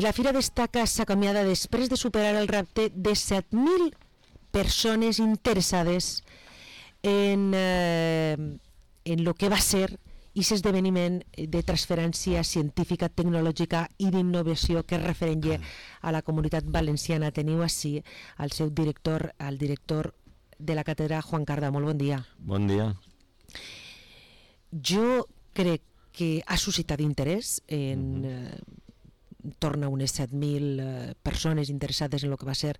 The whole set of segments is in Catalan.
I la Fira d'Estaca s'acomiada després de superar el repte de 7.000 persones interessades en el que va ser aquest esdeveniment de transferència científica, tecnològica i d'innovació que es referent a la comunitat valenciana. Teniu així el seu director, el director de la càtedra, Juan Carda. Molt bon dia. Bon dia. Jo crec que ha suscitat interès en torn a unes 7.000 persones interessades en el que va ser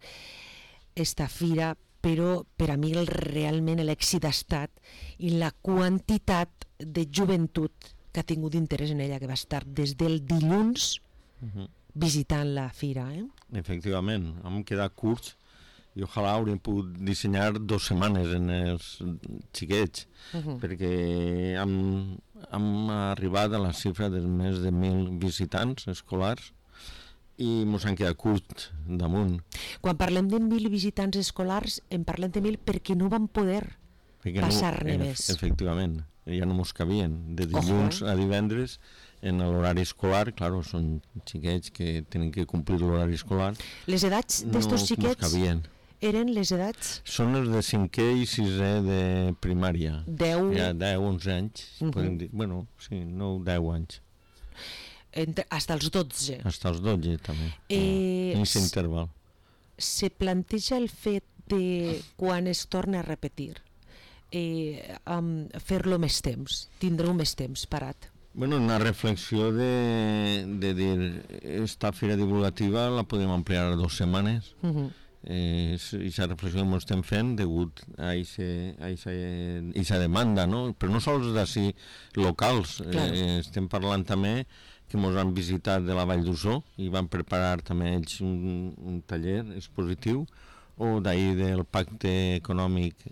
esta fira, però per a mi realment l'èxit ha estat i la quantitat de joventut que ha tingut interès en ella, que va estar des del dilluns visitant la fira. Efectivament, hem quedat curts i ojalà hauríem pogut dissenyar 2 setmanes en els xiquets, perquè hem arribat a la xifra de més de 1.000 visitants escolars i ens han quedat curts damunt. Quan parlem de 1.000 visitants escolars, en parlem de 1.000 perquè no van poder passar-ne més. Efectivament, ja no mos cabien. De dilluns a divendres, en l'horari escolar, clar, són xiquets que tenen que complir l'horari escolar. Les edats d'estos xiquets eren les edats? Són els de 5è i 6è de primària. 10? Ja 10, 11 anys, podem dir. Bueno, sí, 9, 10 anys. Hasta els 12? Hasta els 12, també. En aquest interval. Se planteja el fet de, quan es torna a repetir, fer-lo més temps, tindre-ho més temps parat? Bueno, una reflexió de dir, esta fira divulgativa la podem ampliar a 2 setmanes. I aquesta reflexió que estem fent degut a aquesta demanda, no? Però no sols d'ací locals, estem parlant també que ens han visitat de la Vall d'Ussó i van preparar també ells un taller expositiu, o d'ahir del Pacte Econòmic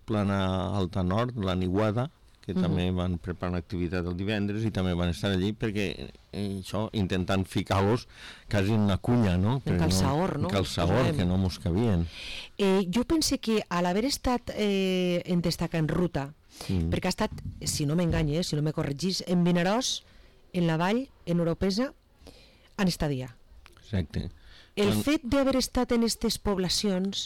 Plana Alta Nord, la Niuada, que també van preparar una activitat el divendres i també van estar allí perquè això, intentant ficar-los quasi en una cunya, no? En calçador, no? En calçador, que no mos cabien. Jo pense que a l'haver estat en Destaca en ruta, perquè ha estat, si no m'enganye, si no me corregís, en Vinaròs, en la Vall, en Oropesa, en estadía. Exacte. El fet d'haver estat en aquestes poblacions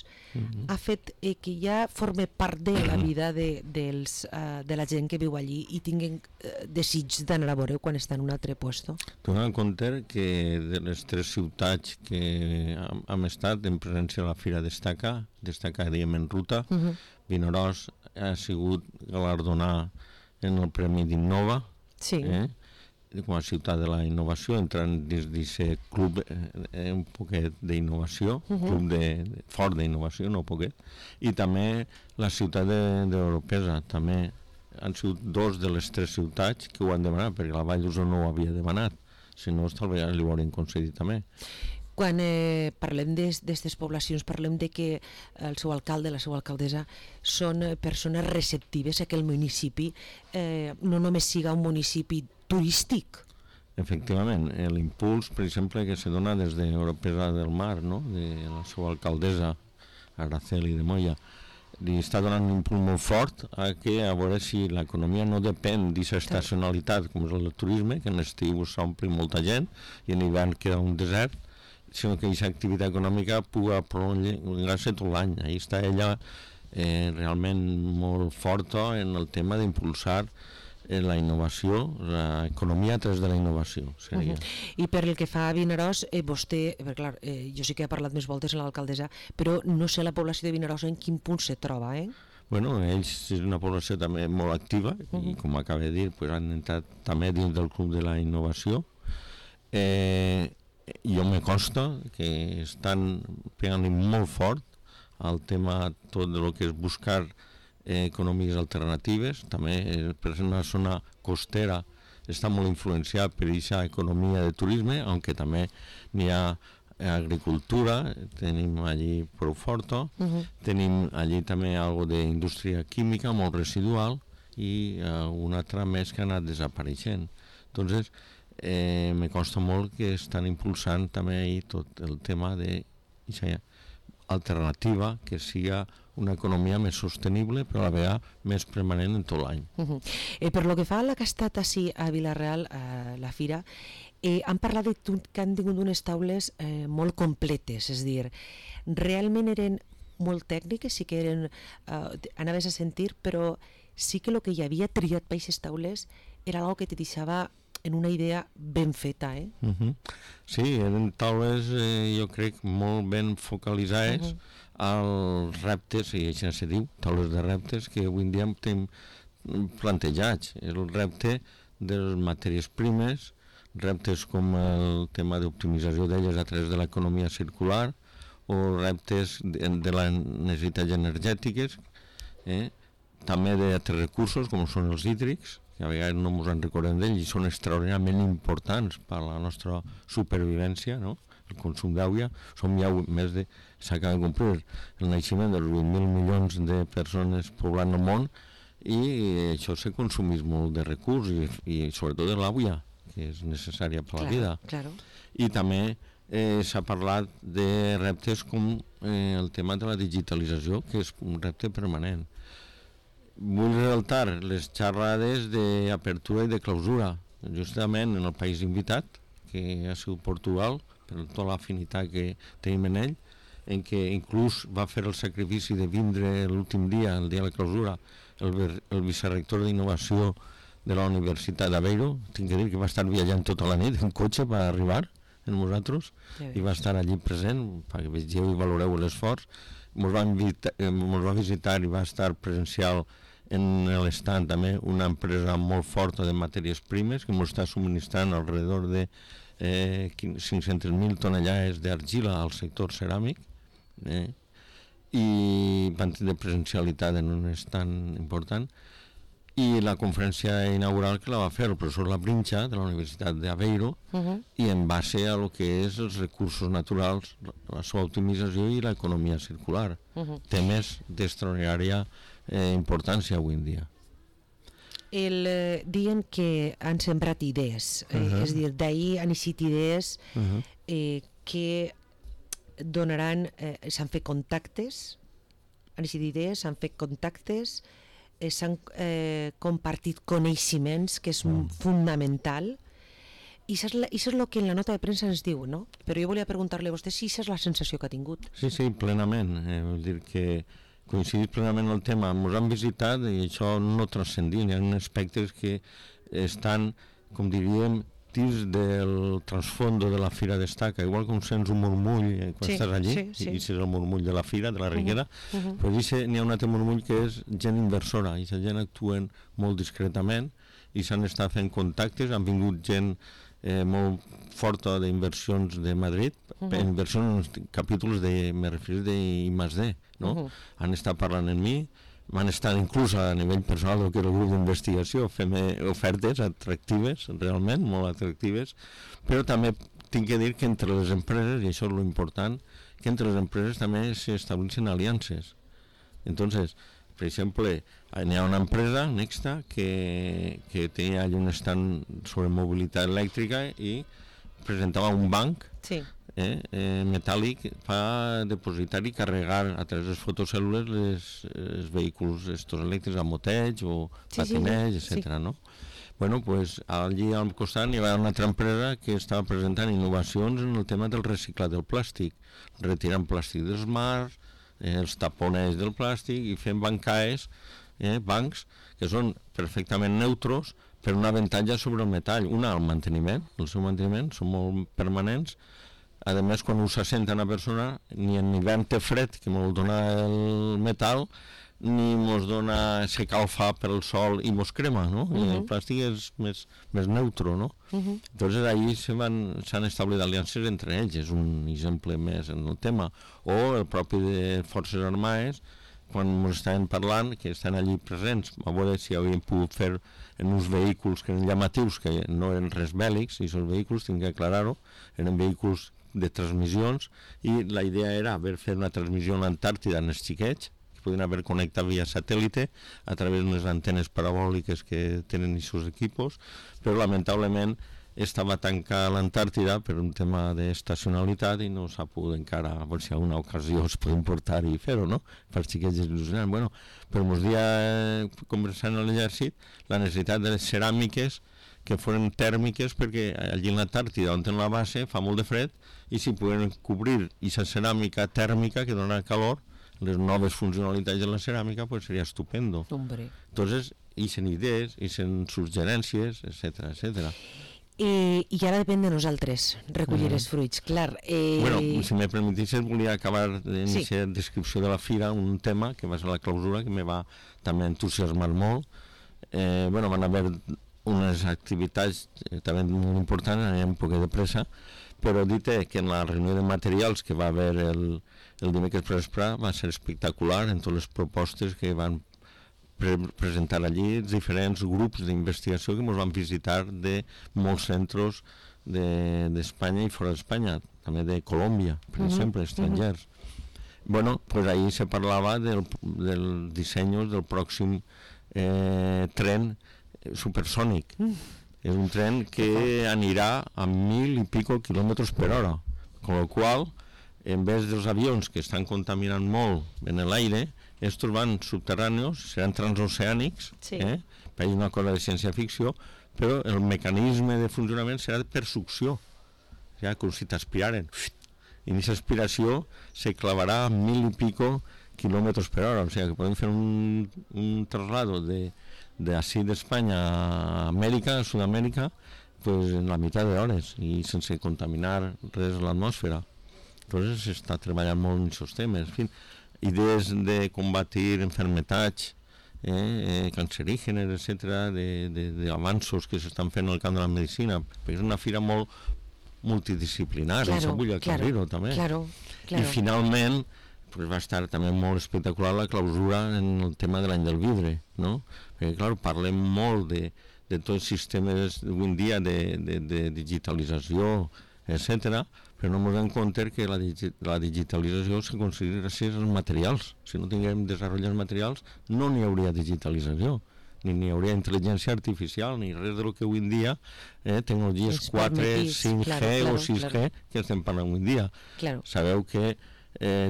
ha fet que ja forme part de la vida de la gent que viu allí i tinguin desig d'anar a veure quan està en un altre lloc. Donant en compte que de les 3 ciutats que hem estat en presència a la Fira Destaca diem en ruta, Vinaròs ha sigut galardonat en el Premi d'Innova, com a ciutat de la innovació, entrant dins d'aquest club un poquet d'innovació, club fort d'innovació, no poquet, i també la ciutat d'Oropesa, també han sigut 2 de les 3 ciutats que ho han demanat, perquè la Vall d'Ussó no ho havia demanat, si no, tal vegada li ho haurien concedit també. Quan parlem d'aquestes poblacions, parlem de que el seu alcalde, la seva alcaldessa, són persones receptives a que el municipi no només siga un municipi turístic. Efectivament, l'impuls, per exemple, que se dona des d'Oropesa del Mar, no? De la seva alcaldessa, Araceli de Moya, li està donant un impuls molt fort a veure si l'economia no depèn d'aquesta estacionalitat, com és el turisme, que en l'estiu s'ompli molta gent i en hivern queda un desert, sinó que aquesta activitat econòmica pugui prolongar-se tot l'any. Ahí està ella realment molt forta en el tema d'impulsar la innovació, l'economia a través de la innovació seria. I per el que fa a Vinaròs, vostè, clar, jo sí que he parlat més voltes amb l'alcaldessa, però no sé la població de Vinaròs en quin punt se troba, Bueno, ells és una població també molt activa i com acaba de dir, han entrat també dins del club de la innovació. Jo me consta que estan pegant molt fort al tema tot de lo que és buscar economies alternatives, també per ser una zona costera està molt influenciat per aquesta economia de turisme, aunque també n'hi ha agricultura, tenim allí prou forta, tenim allí també algo d'indústria química molt residual i una altra més que ha anat desapareixent. Entonces, me consta molt que estan impulsant també ahí tot el tema de alternativa, que siga una economia més sostenible però a la vegada més permanent en tot l'any. Per lo que fa a la que ha estat així a Vila-real, la fira, Han parlat que han tingut unes taules molt completes, és a dir, realment eren molt tècniques, sí que eren, anaves a sentir, però sí que el que hi havia triat per aquestes taules era algo que te deixava en una idea ben feta, eh? Sí, eren taules, jo crec, molt ben focalitzades als reptes, i això se diu, taules de reptes, que avui en dia tenim plantejats. El repte de les matèries primes, reptes com el tema d'optimització d'elles a través de l'economia circular, o reptes de les necessitats energètiques, també d'altres recursos com són els hídrics, que a vegades no ens en recordem d'ells i són extraordinàriament importants per a la nostra supervivència, no? El consum d'aigua, som ja més de... s'acaba de complir el naixement dels 20.000 milions de persones poblant el món, i això se consumís molt de recurs i sobretot de l'aigua, que és necessària per la vida. Claro. I també s'ha parlat de reptes com el tema de la digitalització, que és un repte permanent. Vull resaltar les xerrades d'apertura i de clausura, justament en el país invitat, que ha sigut Portugal, per tota l'afinitat que tenim en ell, en què inclús va fer el sacrifici de vindre l'últim dia, el dia de la clausura, el vicerrector d'innovació de la Universitat d'Aveiro. Tinc que dir que va estar viatjant tota la nit en cotxe per arribar amb nosaltres i va estar allí present perquè vegeu i valoreu l'esforç. Ens va visitar i va estar presencial en l'estand també una empresa molt forta de matèries primes que ens està subministrant alrededor de 500.000 tonellades d'argila al sector ceràmic, i van tenir presencialitat en un stand important. I la conferència inaugural que la va fer el professor Labrincha de la Universitat d'Aveiro, i en base a lo que és els recursos naturals, la seva optimització i l'economia circular, temes d'extraordinària importància avui en dia. Diuen que han sembrat idees, és a dir, d'ahir han eixit idees que donaran, s'han fet contactes, han eixit idees, s'han fet contactes, s'han compartit coneixements, que és fundamental, i això és el que en la nota de premsa ens diu, no? Però jo volia preguntar-li a vostè si això és la sensació que ha tingut. Sí, plenament. Vull dir que coincidit plenament el tema. Ens han visitat i això no transcendim. Hi ha aspectes que estan, com diríem, dins del transfondo de la Fira Destaca, igual com sents un murmull quan estàs allí, i és el murmull de la Fira, de la Riquera, però n'hi ha un altre murmull que és gent inversora, i la gent actuen molt discretament i s'han estat fent contactes, han vingut gent molt forta d'inversions de Madrid, inversions en capítols me referís d'I+D, no? Han estat parlant amb mi, van estar inclús a nivell personal del que era el grup d'investigació, fem ofertes atractives, realment, molt atractives, però també tinc que dir que entre les empreses, i això és l'important, que entre les empreses també s'estableixen aliances. Entonces, per exemple, hi ha una empresa, Nexta, que tenia allà un stand sobre mobilitat elèctrica i presentava un banc metàl·lic per depositar i carregar a través de les fotocèl·lules els vehicles estos elèctrics a moteig o patinets, etc. No? Bueno, pues allí al costat hi va una altra empresa que estava presentant innovacions en el tema del reciclat del plàstic, retirant plàstic dels mars, els taponets del plàstic i fent bancs que són perfectament neutros per un avantatge sobre el metall. Una, el manteniment, el seu manteniment, són molt permanents. A més, quan ho s'assenta una persona, ni en hivern té fred, que mos dona el metall, ni mos dona s'escalfa per el sol i mos crema, no? El plàstic és més neutro, no? Entonces, ahí s'han establert aliances entre ells, és un exemple més en el tema. O el propi de Forces Armades, quan ens estaven parlant, que estan allí presents, a veure si havíem pogut fer en uns vehicles que eren llamatius, que no eren res bèl·lics, i aquests vehicles, tinc que aclarar-ho, eren vehicles de transmissions, i la idea era haver fet una transmissió a l'Antàrtida en els xiquets, que podien haver connectat via satèl·lite a través d'unes antenes parabòliques que tenen aquests equipos, però lamentablement estava tancada l'Antàrtida per un tema d'estacionalitat i no s'ha pogut encara, a veure si a una ocasió es pot importar i fer-ho, no? Per als xiquets il·lusionants. Bueno, però ens dia, conversant amb l'exèrcit, la necessitat de les ceràmiques que foren tèrmiques, perquè allí en l'Antàrtida, on en la base, fa molt de fred, i si poden cobrir aquesta ceràmica tèrmica que dona calor, les noves funcionalitats de la ceràmica, pues seria estupendo. Hombre. Entonces, ixen idees, ixen suggerències, etcètera, etcètera. I ara depèn de nosaltres recollir els fruits, clar. Bueno, si me permetissis, volia acabar en aquesta descripció de la fira un tema que va ser la clausura, que me va també entusiasmar molt. Bueno, van haver unes activitats també molt importants, anem un poc de pressa, però dit que en la reunió de materials que va haver el dimecres per vespre va ser espectacular en totes les propostes que van presentar allí diferents grups d'investigació que ens van visitar de molts centres d'Espanya i fora d'Espanya, també de Colòmbia, per exemple, estrangers. Bueno, pues ahí se parlava del disseny del pròxim tren supersònic. És un tren que anirà a 1.000 i pico quilòmetres per hora, con lo qual, en vez dels avions que estan contaminant molt en l'aire, estos van subterrànios, seran transoceànics, és una cosa de ciència-ficció, però el mecanisme de funcionament serà per succió, com si t'aspiraren. I en aquesta aspiració se clavarà a 1.000 i pico quilòmetres per hora, o sigui que podem fer un traslado d'ací d'Espanya a Amèrica, a Sud-amèrica, pues en la meitat d'hores i sense contaminar res l'atmosfera. Entonces s'està treballant molt en aquests temes, en fi, idees de combatir enfermetats cancerígenes, etcètera, d'avanços que s'estan fent en el camp de la medicina, perquè és una fira molt multidisciplinària, això vull aclarir-ho també. I finalment pues va estar també molt espectacular la clausura en el tema de l'any del vidre, no? Perquè, clar, parlem molt de tots els sistemes d'avui en dia de digitalització, etcètera, però no ens donem compte que la digitalització s'aconsegueix gràcies als materials. Si no tinguem desenvolupats materials, no n'hi hauria digitalització, ni n'hi hauria intel·ligència artificial, ni res del que avui en dia, tecnologies 4, 5G o 6G, que estem parlant avui en dia. Sabeu que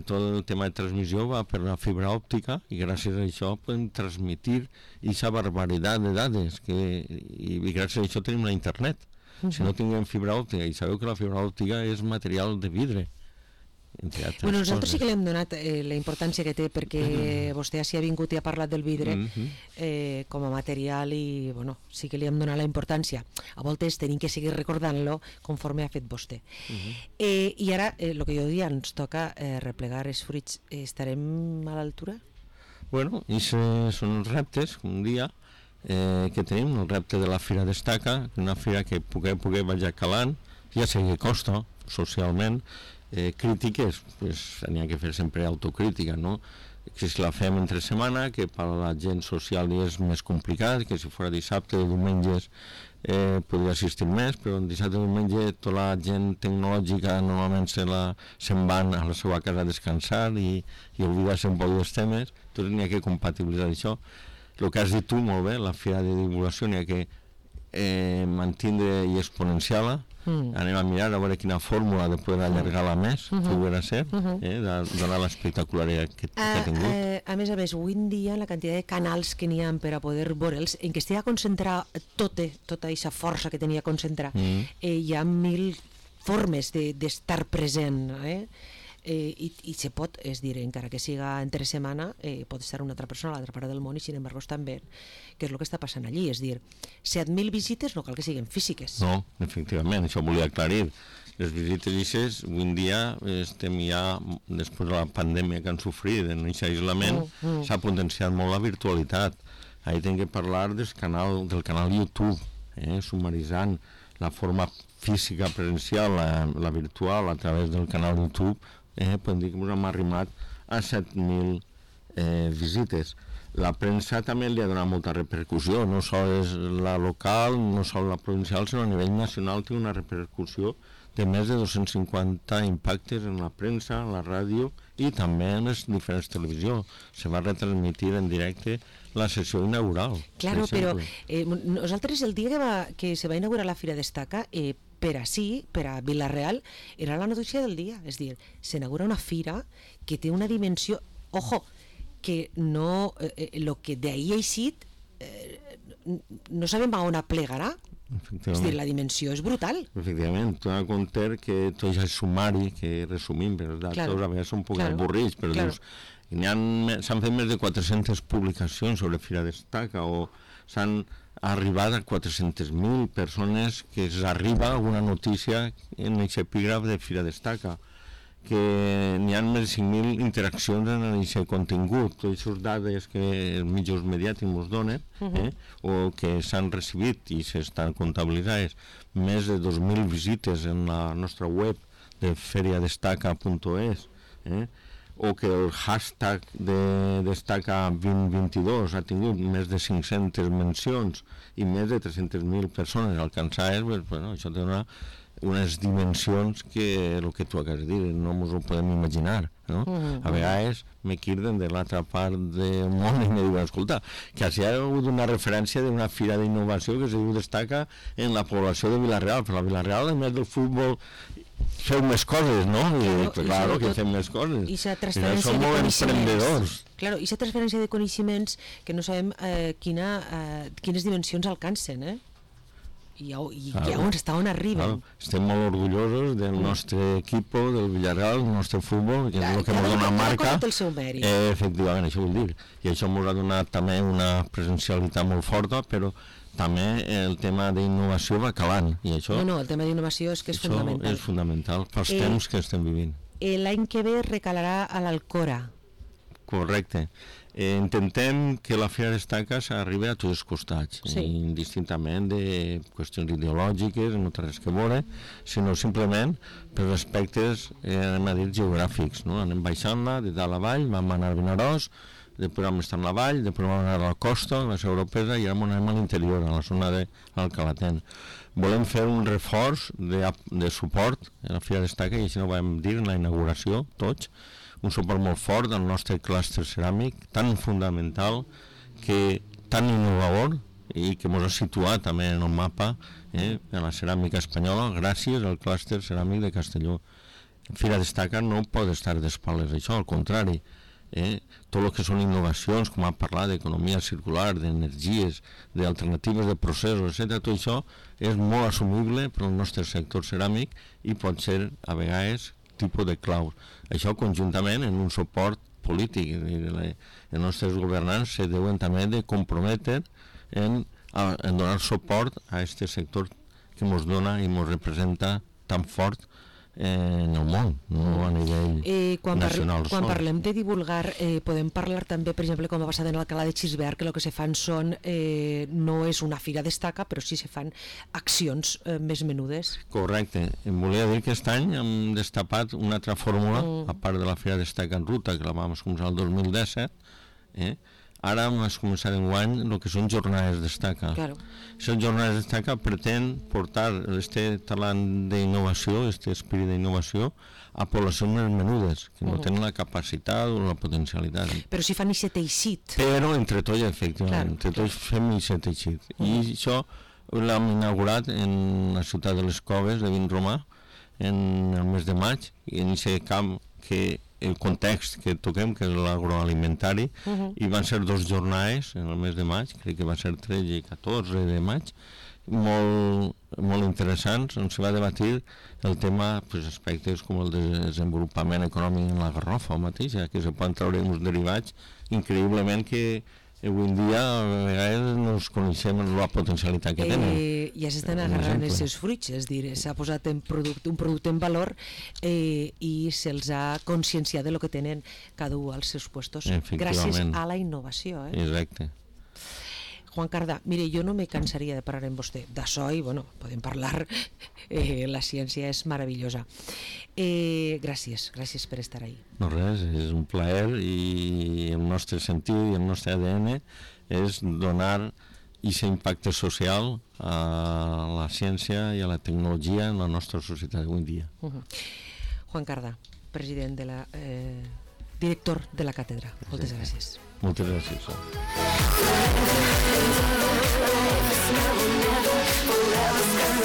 tot el tema de transmissió va per la fibra òptica i gràcies a això podem transmitir aquesta barbaritat de dades i gràcies a això tenim la internet. Si no tinguem fibra òptica, i sabeu que la fibra òptica és material de vidre, entre altres coses. Nosaltres sí que li hem donat la importància que té, perquè vostè s'hi ha vingut i ha parlat del vidre com a material i sí que li hem donat la importància. A voltes tenim que seguir recordant-lo conforme ha fet vostè. I ara, el que jo diria, ens toca replegar els fruits. Estarem a l'altura? Bueno, i són els reptes, un dia que tenim, el repte de la Fira Destaca, una fira que poder vagi calant, ja sé que costa socialment, crítiques, n'hi ha que fer sempre autocrítica, no? Que si la fem entre setmana, que per a la gent social és més complicat, que si fos dissabte o diumenges podria assistir més, però dissabte o diumenge tota la gent tecnològica normalment se'n van a la seva casa a descansar i oblidar-se un poc dels temes, doncs n'hi ha que compatibilitzar això. El que has dit tu molt bé, la fira de divulgació n'hi ha que mantindre i exponenciar-la. Anem a mirar a veure quina fórmula de poder allargar-la més, que ho era ser, donar l'espectacularitat que ha tingut. A més, avui en dia, la quantitat de canals que n'hi ha per a poder veure'ls, en què estigui a concentrar tota aquesta força que tenia a concentrar, hi ha 1.000 formes d'estar present, i se pot, és dir, encara que siga entre setmana, pot estar una altra persona a l'altra part del món i sin embargo estan bé, que és el que està passant allí, és dir, 7.000 visites no cal que siguin físiques. No, efectivament, això volia aclarir. Les visites ixes, avui en dia estem ja, després de la pandèmia que han sofrit en aquest aislament, s'ha potenciat molt la virtualitat. Ahí hem de parlar del canal YouTube, sumaritzant la forma física presencial, la virtual, a través del canal YouTube, podem dir que ens hem arrimat a 7.000 visites. La premsa també li ha donat molta repercussió, no sols la local, no sols la provincial, sinó a nivell nacional té una repercussió de més de 250 impactes en la premsa, en la ràdio i també en les diferents televisions. Se va retransmitir en directe la sessió inaugural. Claro, però nosaltres el dia que se va inaugurar la Fira Destaca, per a Vila-real, era la notícia del dia. És dir, s'inaugura una fira que té una dimensió, ojo, que no, el que d'ahir ha eixit, no sabem a on aplegarà, És dir, la dimensió és brutal. Efectivament, tu has de compte que tot és el sumari que resumim, però els datos a vegades són un poc avorrits, però dius, s'han fet més de 400 publicacions sobre Fira Destaca, o s'han arribat a 400.000 persones que s'arriba alguna notícia en aquest epígraf de Fira Destaca, que n'hi ha més de 5.000 interaccions en aquest contingut, totes aquestes dades que els mitjans mediàtics ens donen, o que s'han recibit i s'estan comptabilitzades, més de 2.000 visites en la nostra web de feriadestaca.es, o que el hashtag de Destaca 2022 ha tingut més de 500 mencions i més de 300.000 persones alcançades, bueno, això té unes dimensions que el que tu acabes de dir no ens ho podem imaginar, no? A vegades me quirden de l'altra part del món i me diuen, escolta, que hi ha hagut una referència d'una fira d'innovació que es diu Destaca en la població de Vila-real, però a Vila-real, a més del futbol, feu més coses, no? Claro que fem més coses. I aquesta transferència de coneixements. Claro, i aquesta transferència de coneixements que no sabem quines dimensions alcancen, i on arriben. Estem molt orgullosos del nostre equip, del Villarreal, del nostre futbol, que és el que ens dona marca. El seu mèrit. Efectivament, això vol dir. I això ens ha donat també una presencialitat molt forta, però també el tema d'innovació va calant. I això, el tema d'innovació és que és fundamental. Això és fundamental pels temps que estem vivint. L'any que ve recalarà a l'Alcora. Correcte. Intentem que la Fira Destaca s'arribi a tots els costats, indistintament de qüestions ideològiques, no té res que veure, sinó simplement per aspectes, anem a dir, geogràfics, no? Anem baixant-la de dalt a baix, vam anar a Vinaròs, després vam estar a la vall, després vam anar a la costa, a la Seu Europea, i ara anem a l'interior, a la zona de l'Alcalatén. Volem fer un reforç de suport a la Fira Destaca, i així ho vam dir en la inauguració, tots, un suport molt fort del nostre clúster ceràmic, tan fundamental, tan innovador, i que ens ha situat també en el mapa en la ceràmica espanyola gràcies al clúster ceràmic de Castelló. Fira Destaca no pot estar d'espales d'això, al contrari. Tot el que són innovacions, com hem parlat d'economia circular, d'energies, d'alternatives de processos, etc., tot això és molt assumible per al nostre sector ceràmic i pot ser, a vegades, tipus de claus. Això conjuntament en un suport polític. Els nostres governants se deuen també de comprometre en donar suport a aquest sector que ens dona i ens representa tan fort en el món, no a nivell nacional. Quan parlem de divulgar, podem parlar també, per exemple, com ha passat en l'Alcalá de Xisbert, que el que se fan són, no és una Fira Destaca, però sí se fan accions més menudes. Correcte. Em volia dir que aquest any hem destapat una altra fórmula, a part de la Fira Destaca en ruta, que la vam començar el 2017, ara hem començat enguany el que són jornades Destaca. Aquestes jornades Destaca pretén portar este talent d'innovació, aquest esperit d'innovació, a poblacions més menudes, que no tenen la capacitat o la potencialitat. Però si fan aquest teixit. Però entre tots, efectivament, entre tots fem aquest teixit. I això l'hem inaugurat en la ciutat de les Coves de Vinromà en el mes de maig, i en aquest camp que el context que toquem, que és l'agroalimentari, i van ser 2 jornades en el mes de maig, crec que va ser 13 i 14 de maig, molt interessants, on se va debatir el tema, aspectes com el desenvolupament econòmic en la garrofa mateix, que se poden treure uns derivats increïblement que avui en dia a vegades no es coneixem la potencialitat que tenen. Ja s'estan agarrant els seus fruits, és dir, s'ha posat un producte en valor i se'ls ha conscienciat de lo que tenen cada un als seus puestos gràcies a la innovació. Exacte. Juan Cardà, mire, jo no me cansaria de parlar amb vostè d'això i, bueno, podem parlar, la ciència és meravellosa. Gràcies per estar ahí. No res, és un plaer i el nostre sentit i el nostre ADN és donar aquest impacte social a la ciència i a la tecnologia en la nostra societat avui en dia. Juan Cardà, president de la... director de la càtedra. Moltes gràcies. Moltes gràcies. Forever's gonna